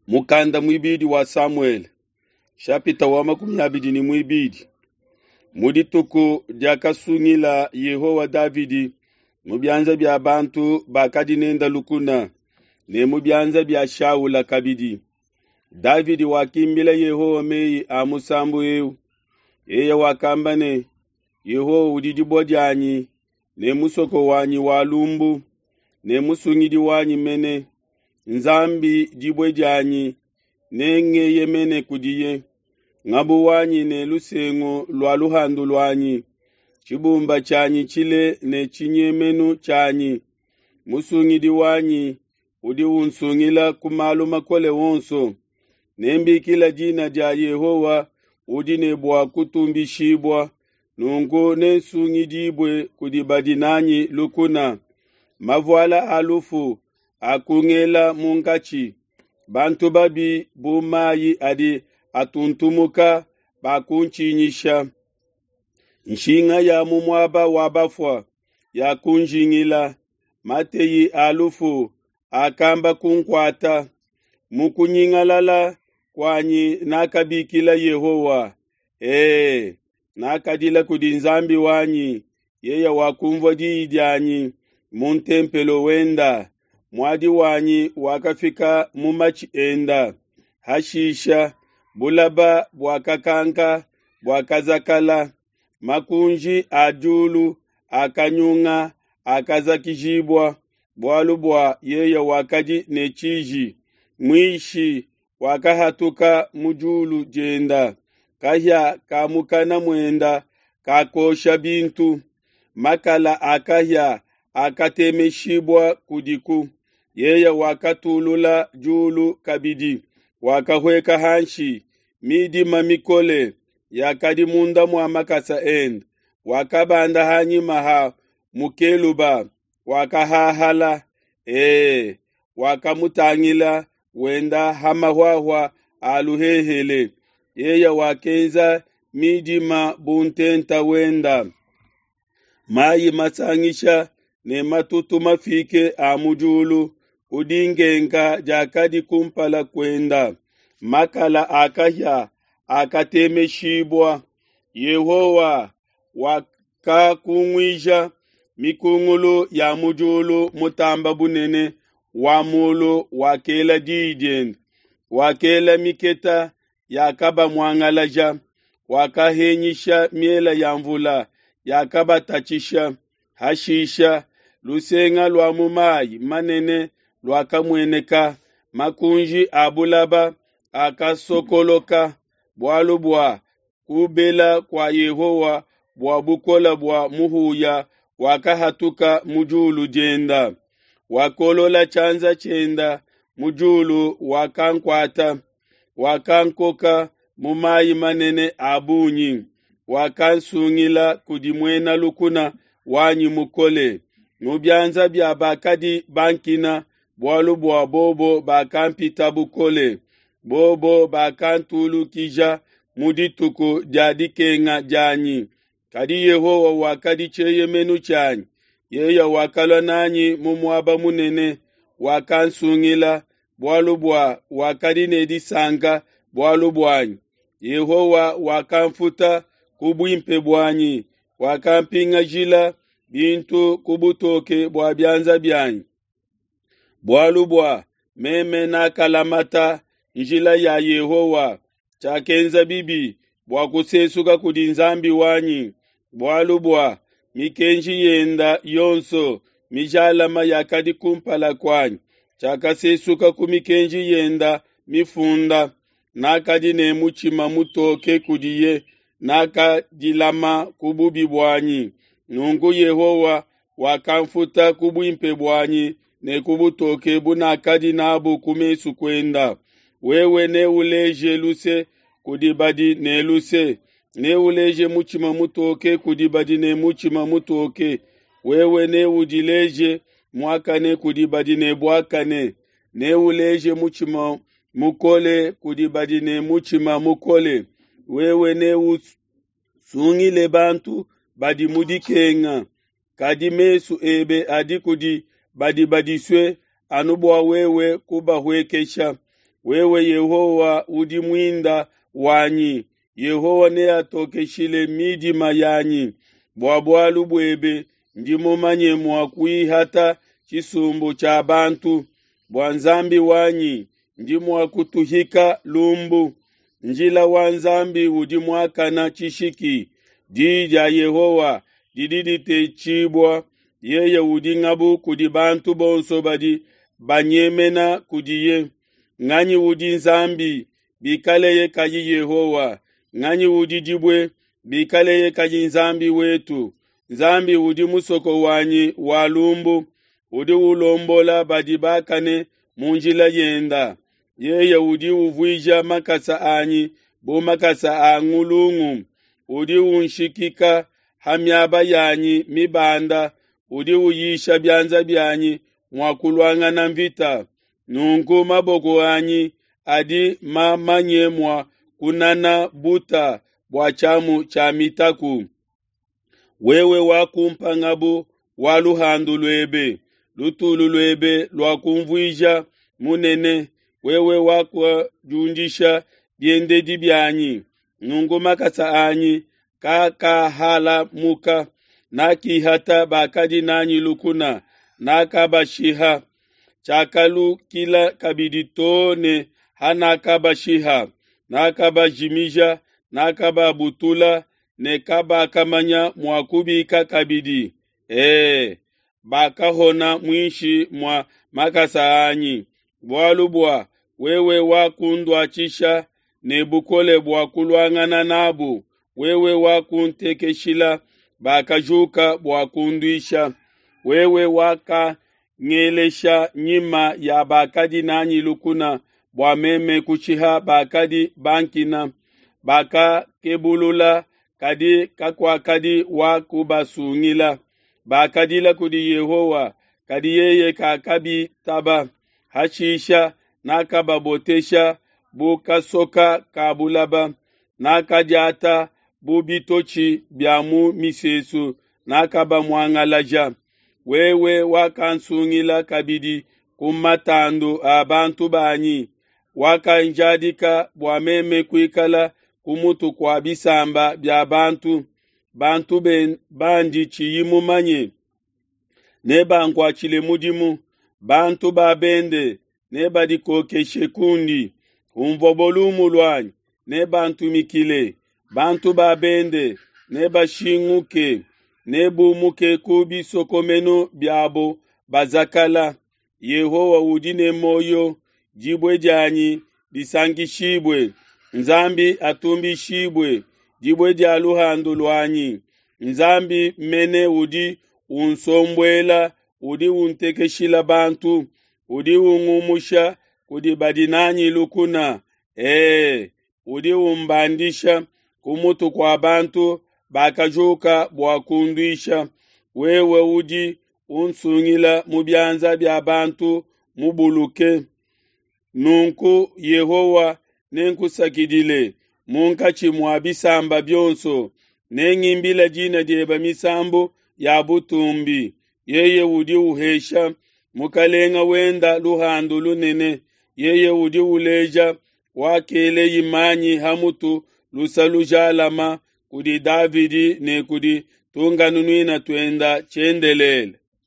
Mukanda muibidi wa Samuele, shapita wa 22. Mu dituku diakasungila Yehowa Davidi mu bianza bia bantu bakadi nende lukuna ne mu bianza bia Shaula kabidi, Davidi wakimbila Yehowa meyi a musambu eu. Yeye wakamba ne, Yehowa udi dibue dianyi ne musoko wanyi wa lumbu ne musungidi wanyi mene, Nzambi dibue dianyi, nengeyemene kudiye. Ngabu wanyi ne lusengu lua luhandu luanyi, tshibumba tshianyi tshile ne tshinyemenu tshianyi, musungidi wanyi udi unsungila ku malu makole onso. Nembikila dina dia Yehowa udi ne bua kutumbishibua, nunku nensungidibue kudi badi nanyi lukuna. Mavuala a lufu akungela munkatshi, bantu babi bu mayi adi atuntumuka bakuntshinyisha. Nshinga ya mu muaba wa bafua yakunjingila, mateyi a lufu akamba kunkuata. Mu kunyingalala kuanyi nakabikila Yehowa, ee, nakadila kudi Nzambi wanyi, yeye wakumvua diyi dianyi mu ntempelo wenda. Muadi wanyi wakafika mu matshi enda. Hashisha bulaba buakakanka buakazakala, makunji a diulu akanyunga akazakijibua, bualu bua yeye wakadi ne tshiji. Muishi wakahatuka mu diulu dienda, kahia ka mukana muenda kakosha bintu, makala a kahia akatemeshibua kudiku. Yeye wakatulula diulu kabidi, wakahueka hanshi, midima mikole yakadi munda mua makasa ende. Wakabanda hanyima ha mukeluba, wakahahala, ee, wakamutangila wenda ha mahuahua a luhehele. Yeye wakenza midima bu ntenta wenda, mayi masangisha ne matutu mafike a mu diulu ku dinkenka diakadi kumpala kuenda. Makala a kahia akatemeshibua. Yehowa wakakunguija mikungulu ya mu diulu, mutamba bunene wa mulu wakela diyi diende, wakela miketa yakabamuangalaja, wakahenyisha miela ya mvula yakabatatshisha. Hashisha lusenga lua mu mayi manene luakamueneka, makunji a bulaba akasokoloka, bualu bua kubela kua Yehowa bua bukole bua muhuya wakahatuka mu diulu dienda. Wakolola tshianza tshienda mu diulu, wakankuata, wakankoka mu mayi manene a bungi, wakansungila kudi muena lukuna wanyi mukole, mu bianza bia bakadi bankina, bualu bua bobo bakampita bukole. Bobo bakantulukija mu dituku dia dikenga dianyi, kadi Yehowa wakadi tshieyemenu tshianyi. Yeye wakalua nanyi mu muaba munene, wakansungila, bualu bua wakadi ne disanka bualu buanyi. Yehowa wakamfuta ku buimpe buanyi, wakampingajila bintu ku butoke bua bianza bianyi. Bualu bua meme nakalamata njila ya Yehowa, tshiakenza bibi bua kusesuka kudi Nzambi wanyi. Bualu bua mikenji yenda yonso mijalama yakadi kumpala kuanyi, tshiakasesuka ku mikenji yenda mifunda. Nakadi ne mutshima mutoke kudiye, nakadilama ku bubi buanyi. Nunku Yehowa wakamfuta ku buimpe buanyi ne ku butoke bunakadi nabu ku mesu kuenda. Wewe neuleje luse kudi badi ne luse, neuleje mutshima mutoke kudi badi ne mutshima mutoke. Wewe neudileje muakane kudi badi ne buakane, neuleje mutshima mukole kudi badi ne mutshima mukole. Wewe neusungile bantu badi mu dikenga, kadi mesu ebe adi kudi badi badisue anu bua wewe kubahuekesha. Wewe Yehowa udi muinda wanyi, Yehowa neatokeshile midima yanyi. Bua bualu buebe ndi mumanye mua kuihata tshisumbu tshia bantu, bua Nzambi wanyi ndi mua kutuhika lumbu. Njila wa Nzambi udi muakane tshishiki, diyi dia Yehowa didi ditetshibua, yeye udi ngabu kudi bantu bonso badi banyemena kudiye. Nganyi udi Nzambi, bikaleye kayi Yehowa? Nganyi udi dibue, bikaleye kayi Nzambi wetu? Nzambi udi musoko wanyi wa lumbu, udi ulombola badi bakane mu njila yenda. Yeye udi uvuija makasa anyi bu makasa a ngulungu, udi unshikika ha miaba yanyi mibanda, udi uyisha bianza bianyi mua kuluangana nvita. Nunku maboko anyi adi mamanye mua kunana buta bua tshiamu tshia mitaku. Wewe wakumpa ngabu wa luhandu luebe, lutulu luebe luakunvuija munene. Wewe wakudiundisha biendedi bianyi, nunku makasa anyi kakahalamuka. Nakihata bakadi n'anyi lukuna, nakabashiha. Tshiakalukila kabidi to ne hanakabashiha, nakabajimija, nakababutula ne kabakamanya mua kubika kabidi. E, bakahona muinshi mua makasa anyi, bualu bua wewe wakunduatshisha ne bukole bua kuluangana n'abu, wewe wakuntekeshila bakajuka bua kunduisha. Wewe wakangelesha nyima ya bakadi n'anyi lukuna bua meme kushiha bakadi bankina. Bakakebulula, kadi kakuakadi wa kubasungila. Bakadila kudi Yehowa, kadi yeye kakabitaba. Hashisha nakababotesha bu kasoka ka bulaba, nakadiata bu bitotshi bia mu misesu, nakabamuangalaja. Wewe wakansungila kabidi ku matandu a bantu banyi, wakanjadika bua meme kuikala ku mutu kua bisamba bia bantu, bantu bandi tshiyi mumanye nebankuatshile mudimu, bantu ba bende nebadikokeshe kundi. Hunvuabo lumu luanyi nebantumikile, bantu ba bende nebashinguke, nebumuke ku bisokomenu biabo bazakala. Yehowa udi ne muoyo, dibue dianyi disankishibue, Nzambi atumbishibue, dibue dia luhandu luanyi. Nzambi mene udi unsombuela, udi untekeshila bantu, udi ungumusha kudi badi n'anyi lukuna. E, udi umbandisha ku mutu kua bantu bakajuka bua kunduisha. Wewe udi unsungila mu bianza bia bantu mubuluke. Nunku Yehowa, nenkusakidile munkatshi mua bisamba bionso, nengimbile dina diebe misambu ya butumbi. Yeye udi uhesha mukalenga wenda luhandu lunene, yeye udi uleja wakeleye manyi ha mutu lusa lujalama kudi Davidi ne kudi tunkanunuina tuenda tshiendelele.